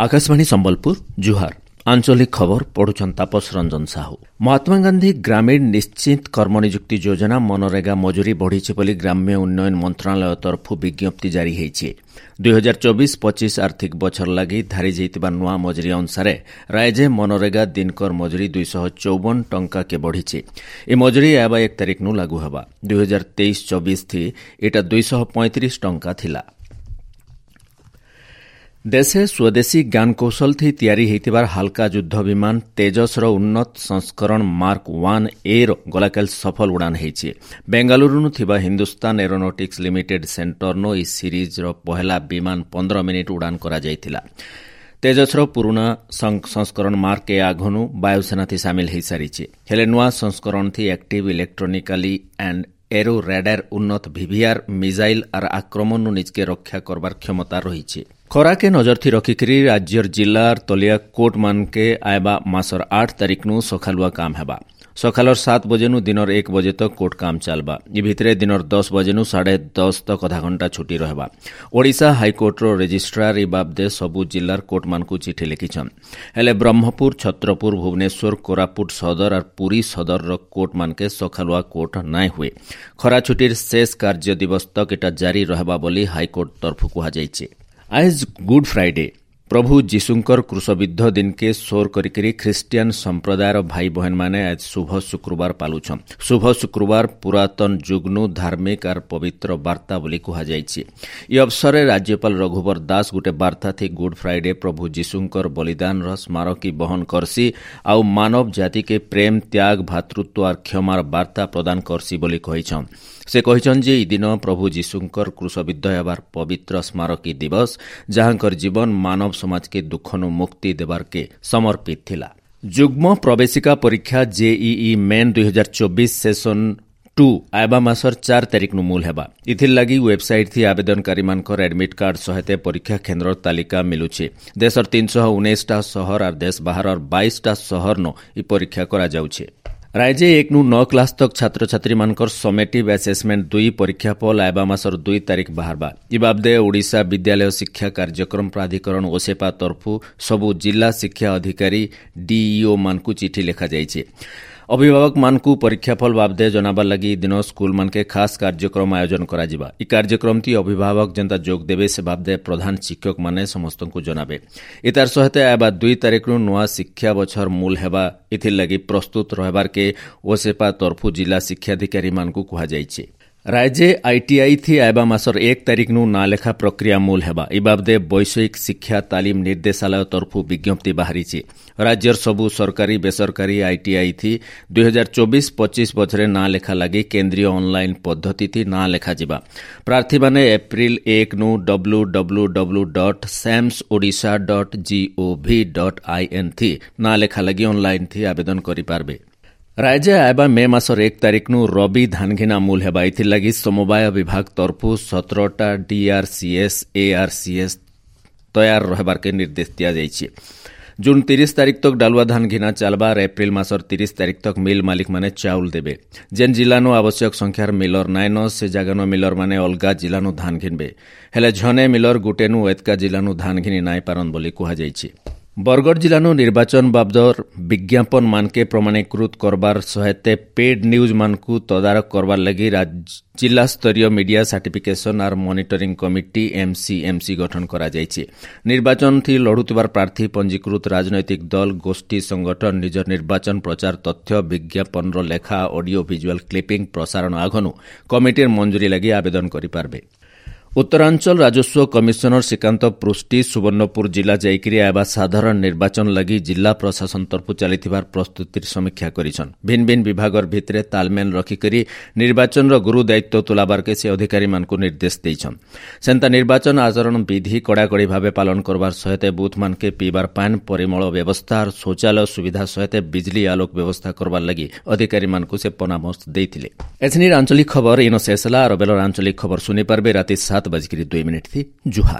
ଆକାଶବାଣୀ ସମ୍ବଲପୁର, ଜୁହାର। ଆଞ୍ଚଳିକ ଖବର ପଢୁଛନ୍ ତାପସ ରଞ୍ଜନ ସାହୁ। ମହାତ୍ମା ଗାନ୍ଧୀ ଗ୍ରାମୀଣ ନିଶ୍ଚିତ କର୍ମନିଯୁକ୍ତି ଯୋଜନା ମନରେଗା ମଜୁରୀ ବଢ଼ିଛି ବୋଲି ଗ୍ରାମ୍ୟ ଉନ୍ନୟନ ମନ୍ତ୍ରଣାଳୟ ତରଫରୁ ବିଜ୍ଞପ୍ତି ଜାରି ହୋଇଛି। 2024-25 ଆର୍ଥିକ ବଛର ଲାଗି ଧାରି ଯାଇଥିବା ନୂଆ ମଜୁରୀ ଅନୁସାରେ ରାଜ୍ୟ ମନରେଗା ଦିନକର ମଜୁରୀ 254 ଟଙ୍କାକେ ବଢ଼ିଛି। ଏ ମଜୁରୀ ଆଇବା 1 ତାରିଖନୁ ଲାଗୁ ହେବା। 2023-24 ଥି ଏଟା 235 ଟଙ୍କା ଥିଲା। ଦେଶେ ସ୍ୱଦେଶୀ ଜ୍ଞାନକୌଶଳ ଥି ତିଆରି ହୋଇଥିବାର ହାଲକା ଯୁଦ୍ଧ ବିମାନ ତେଜସର ଉନ୍ନତ ସଂସ୍କରଣ ମାର୍କ 1 ଏ ର ଗଲାକାଲି ସଫଳ ଉଡ଼ାଣ ହୋଇଛି। ବେଙ୍ଗାଲୁରୁନୁ ଥିବା ହିନ୍ଦୁସ୍ତାନ ଏରୋନଟିକ୍ସ ଲିମିଟେଡ୍ ସେଣ୍ଟରନୁ ଏହି ସିରିଜ୍ର ପହେଲା ବିମାନ 15 ମିନିଟ୍ ଉଡ଼ାଣ କରାଯାଇଥିଲା। ତେଜସର ପୁରୁଣା ସଂସ୍କରଣ ମାର୍କ ଏ ଆଘନୁ ବାୟୁସେନାଥି ସାମିଲ ହୋଇସାରିଛି। ହେଲେ ନୂଆ ସଂସ୍କରଣଥି active electronically and aero radar, ଉନ୍ନତ ଭିଭିଆର୍ ମିଜାଇଲ୍ ଆର୍ ଆକ୍ରମଣରୁ ନିଜକେ ରକ୍ଷା କରବାର କ୍ଷମତା ରହିଛି। ଖରାକେ ନଜରଥି ରଖିକରି ରାଜ୍ୟର ଜିଲ୍ଲାର ତଲିଆ କୋର୍ଟମାନକେ ଆଇବା ମାସର 8 ତାରିଖନୁ ସକାଳୁଆ କାମ ହେବା। ସକାଳର 7 ବଜେନୁ ଦିନର 1 ବଜେ ତକ କୋର୍ଟ କାମ ଚାଲବା। ଇ ଭିତରେ ଦିନର 10 ବଜେନୁ 10:30 ତକ ଅଧା ଘଣ୍ଟା ଛୁଟି ରହିବା। ଓଡ଼ିଶା ହାଇକୋର୍ଟର ରେଜିଷ୍ଟ୍ରାର ଇ ବାବଦେ ସବୁ ଜିଲ୍ଲାର କୋର୍ଟମାନଙ୍କୁ ଚିଠି ଲେଖିଛନ୍। ହେଲେ ବ୍ରହ୍ମପୁର, ଛତ୍ରପୁର, ଭୁବନେଶ୍ୱର, କୋରାପୁଟ ସଦର ଆର୍ ପୁରୀ ସଦରର କୋର୍ଟମାନକେ ସକାଳୁଆ କୋର୍ଟ ନାଇଁ ହୁଏ। ଖରା ଛୁଟିର ଶେଷ କାର୍ଯ୍ୟ ଦିବସ ତକ ଏଟା ଜାରି ରହିବା ବୋଲି ହାଇକୋର୍ଟ ତରଫରୁ କୁହାଯାଇଛି। ଆଏଜ୍ ଗୁଡ୍ ଫ୍ରାଇଡେ। ପ୍ରଭୁ ଯୀଶୁଙ୍କର କ୍ରୁଶବିଦ୍ଧ ଦିନକେ ସୋର କରିକରି ଖ୍ରୀଷ୍ଟିଆନ ସମ୍ପ୍ରଦାୟର ଭାଇ ବହେନମାନେ ଆଜ ଶୁଭ ଶୁକ୍ରବାର ପାଲୁଛନ୍। ଶୁଭ ଶୁକ୍ରବାର ପୁରାତନ ଯୁଗ୍ନୁ ଧାର୍ମିକ ଆର୍ ପବିତ୍ର ବାର୍ତ୍ତା ବୋଲି କୁହାଯାଇଛି। ଇ ଅବସରରେ ରାଜ୍ୟପାଳ ରଘୁବର ଦାସ ଗୋଟେ ବାର୍ତ୍ତା ଥି ଗୁଡ୍ ଫ୍ରାଇଡେ ପ୍ରଭୁ ଯୀଶୁଙ୍କର ବଳିଦାନର ସ୍ମାରକୀ ବହନ କରସି ଆଉ ମାନବ ଜାତିକେ ପ୍ରେମ, ତ୍ୟାଗ, ଭ୍ରାତୃତ୍ୱ ଆର୍ କ୍ଷମାର ବାର୍ତ୍ତା ପ୍ରଦାନ କରସି ବୋଲି କହିଛନ୍। ସେ କହିଛନ୍ ଯେ ଇ ଦିନ ପ୍ରଭୁ ଯୀଶୁଙ୍କର କ୍ରୁଶବିଦ୍ଧ ହେବାର ପବିତ୍ର ସ୍ମାରକୀ ଦିବସ, ଯାହାଙ୍କର ଜୀବନ ମାନବ ସମାଜକେ ଦୁଃଖନୁ ମୁକ୍ତି ଦେବାରକେ ସମର୍ପିତ ଥିଲା। ଯୁଗ୍ମ ପ୍ରବେଶିକା ପରୀକ୍ଷା ଜେଇଇ ମେନ୍ 2024 ସେସନ୍ 2 ଆଇବା ମାସର 4 ତାରିଖନୁ ମୂଲ ହେବା। ଇଥିର୍ ଲାଗି ୱେବସାଇଟ୍ ଥି ଆବେଦନକାରୀମାନଙ୍କର ଆଡମିଟ୍ କାର୍ଡ ସହିତ ପରୀକ୍ଷା କେନ୍ଦ୍ରର ତାଲିକା ମିଲୁଛି। ଦେଶର 319ଟା ସହର ଆର୍ ଦେଶ ବାହାରର 22ଟା ସହରନୁ ଇ ପରୀକ୍ଷା କରାଯାଉଛି। ରାଜ୍ୟ 1ନୁ 9 କ୍ଲାସ୍ ତକ୍ ଛାତ୍ରଛାତ୍ରୀମାନଙ୍କର ସମେଟିଭ୍ ଆସେସମେଣ୍ଟ 2 ପରୀକ୍ଷା ଫଳ ଆଇବା ମାସର 2 ତାରିଖ ବାହାରବା। ଇ ବାବଦେ ଓଡ଼ିଶା ବିଦ୍ୟାଳୟ ଶିକ୍ଷା କାର୍ଯ୍ୟକ୍ରମ ପ୍ରାଧିକରଣ ଓସେପା ତରଫରୁ ସବୁ ଜିଲ୍ଲା ଶିକ୍ଷା ଅଧିକାରୀ ଡିଇଓ ମାନଙ୍କୁ ଚିଠି ଲେଖାଯାଇଛି। ଅଭିଭାବକମାନଙ୍କୁ ପରୀକ୍ଷାଫଳ ବାବଦେ ଜଣାବାର ଲାଗି ଦିନ ସ୍କୁଲମାନକେ ଖାସ୍ କାର୍ଯ୍ୟକ୍ରମ ଆୟୋଜନ କରାଯିବା। ଇ କାର୍ଯ୍ୟକ୍ରମଟି ଅଭିଭାବକ ଯେନ୍ତା ଯୋଗ ଦେବେ, ସେ ବାବଦେ ପ୍ରଧାନ ଶିକ୍ଷକମାନେ ସମସ୍ତଙ୍କୁ ଜଣାବେ। ଇତାର ସହିତ ଆଇବା 2 ତାରିଖରୁ ନୂଆ ଶିକ୍ଷା ବଛର ମୂଲ ହେବା। ଏଥିର୍ ଲାଗି ପ୍ରସ୍ତୁତ ରହିବାରକେ ଓସେପା ତରଫୁ ଜିଲ୍ଲା ଶିକ୍ଷାଧିକାରୀମାନଙ୍କୁ କୁହାଯାଇଛି। ରାଜ୍ୟ ଆଇଟିଆଇ ଥି ଆଇବା ମାସର 1 ତାରିଖନୁ ନାଁ ଲେଖା ପ୍ରକ୍ରିୟା ମୂଲ ହେବା। ଇ ବାବଦେ ବୈଷୟିକ ଶିକ୍ଷା ତାଲିମ ନିର୍ଦ୍ଦେଶାଳୟ ତରଫରୁ ବିଜ୍ଞପ୍ତି ବାହାରିଛି। ରାଜ୍ୟର ସବୁ ସରକାରୀ ବେସରକାରୀ ଆଇଟିଆଇ ଥି 2024-25 ବଛରେ ନାଁ ଲେଖା ଲାଗି କେନ୍ଦ୍ରୀୟ ଅନ୍ଲାଇନ୍ ପଦ୍ଧତି ଥି ନାଁ ଲେଖାଯିବା। ପ୍ରାର୍ଥୀମାନେ ଏପ୍ରିଲ 1ନୁ www.samsodisha.gov.in ଥି ନାଁ ଲେଖା ଲାଗି ଅନ୍ଲାଇନ୍ ଥି ଆବେଦନ କରିପାରବେ। ରାଜ୍ୟ ଆଇବା ମେ ମାସର 1 ତାରିଖନୁ ରବି ଧାନଘିନା ମୂଲ ହେବା। ଏଥିର୍ଲାଗି ସମବାୟ ବିଭାଗ ତରଫରୁ 17ଟା ଡିଆର୍ସିଏସ୍, ଏଆର୍ସିଏସ୍ ତୟାର ରହିବାର୍କେ ନିର୍ଦ୍ଦେଶ ଦିଆଯାଇଛି। ଜୁନ୍ 30 ତାରିଖ ତକ୍ ଡାଲୁଆ ଧାନ ଘିନା ଚାଲବା। ଏପ୍ରିଲ ମାସର 30 ତାରିଖ ତକ୍ ମିଲ୍ ମାଲିକମାନେ ଚାଉଲ ଦେବେ। ଯେନ୍ ଜିଲ୍ଲାନୁ ଆବଶ୍ୟକ ସଂଖ୍ୟାର ମିଲର ନାଇନ, ସେ ଜାଗାନୁ ମିଲର ମାନେ ଅଲଗା ଜିଲ୍ଲାନୁ ଧାନ ଘିନବେ। ହେଲେ ଝନେ ମିଲର ଗୁଟେନୁ ଏତକା ଜିଲ୍ଲାନୁ ଧାନ ଘିନି ନାଇଁ ପାରନ୍ ବୋଲି କୁହାଯାଇଛି। ବରଗଡ଼ ଜିଲ୍ଲାନୁ ନିର୍ବାଚନ ବାବଦର ବିଜ୍ଞାପନ ମାନକେ ପ୍ରମାଣୀକୃତ କରବାର ସହିତ ପେଡ୍ ନ୍ୟୁଜ୍ ମାନଙ୍କୁ ତଦାରଖ କରବାର ଲାଗି ଜିଲ୍ଲା ସ୍ତରୀୟ ମିଡିଆ ସାର୍ଟିଫିକେସନ ଆର୍ ମନିଟରିଂ କମିଟି ଏମ୍ସିଏମ୍ସି ଗଠନ କରାଯାଇଛି। ନିର୍ବାଚନ ଥି ଲଢୁଥିବାର ପ୍ରାର୍ଥୀ, ପଞ୍ଜୀକୃତ ରାଜନୈତିକ ଦଳ, ଗୋଷ୍ଠୀ, ସଂଗଠନ ନିଜର ନିର୍ବାଚନ ପ୍ରଚାର ତଥ୍ୟ, ବିଜ୍ଞାପନର ଲେଖା, ଅଡିଓ ଭିଜୁଆଲ କ୍ଲିପିଂ ପ୍ରସାରଣ ଆଘନୁ କମିଟିର ମଞ୍ଜୁରୀ ଲାଗି ଆବେଦନ କରିପାରବେ। ଉତ୍ତରାଞ୍ଚଳ ରାଜସ୍ୱ କମିଶନର ଶ୍ରୀକାନ୍ତ ପୃଷ୍ଟି ସୁବର୍ଣ୍ଣପୁର ଜିଲ୍ଲା ଯାଇକରି ଆଇବା ସାଧାରଣ ନିର୍ବାଚନ ଲାଗି ଜିଲ୍ଲା ପ୍ରଶାସନ ତରଫରୁ ଚାଲିଥିବାର ପ୍ରସ୍ତୁତିର ସମୀକ୍ଷା କରିଛନ୍। ଭିନ୍ନ ଭିନ୍ନ ବିଭାଗର ଭିତରେ ତାଲମେଲ ରଖିକରି ନିର୍ବାଚନର ଗୁରୁ ଦାୟିତ୍ୱ ତୁଲାବାରକେ ସେ ଅଧିକାରୀମାନଙ୍କୁ ନିର୍ଦ୍ଦେଶ ଦେଇଛନ୍। ସେନ୍ତା ନିର୍ବାଚନ ଆଚରଣ ବିଧି କଡ଼ାକଡ଼ି ଭାବେ ପାଳନ କରବାର ସହିତ ବୁଥମାନକେ ପିଇବାର ପାନ୍, ପରିମଳ ବ୍ୟବସ୍ଥା, ଶୌଚାଳୟ ସୁବିଧା ସହିତ ବିଜଲି ଆଲୋକ ବ୍ୟବସ୍ଥା କରବାର ଲାଗି ଅଧିକାରୀମାନଙ୍କୁ ସେ ପରାମର୍ଶ ଦେଇଥିଲେ। ଏଥିନିର ଆଞ୍ଚଳିକ ଖବର ଇନ ଶେଷ ହେଲା। ଆର ବେଲର ଆଞ୍ଚଳିକ ଖବର ଶୁଣିପାରବେ ରାତି 7:02 ଥି। ଜୁହାର।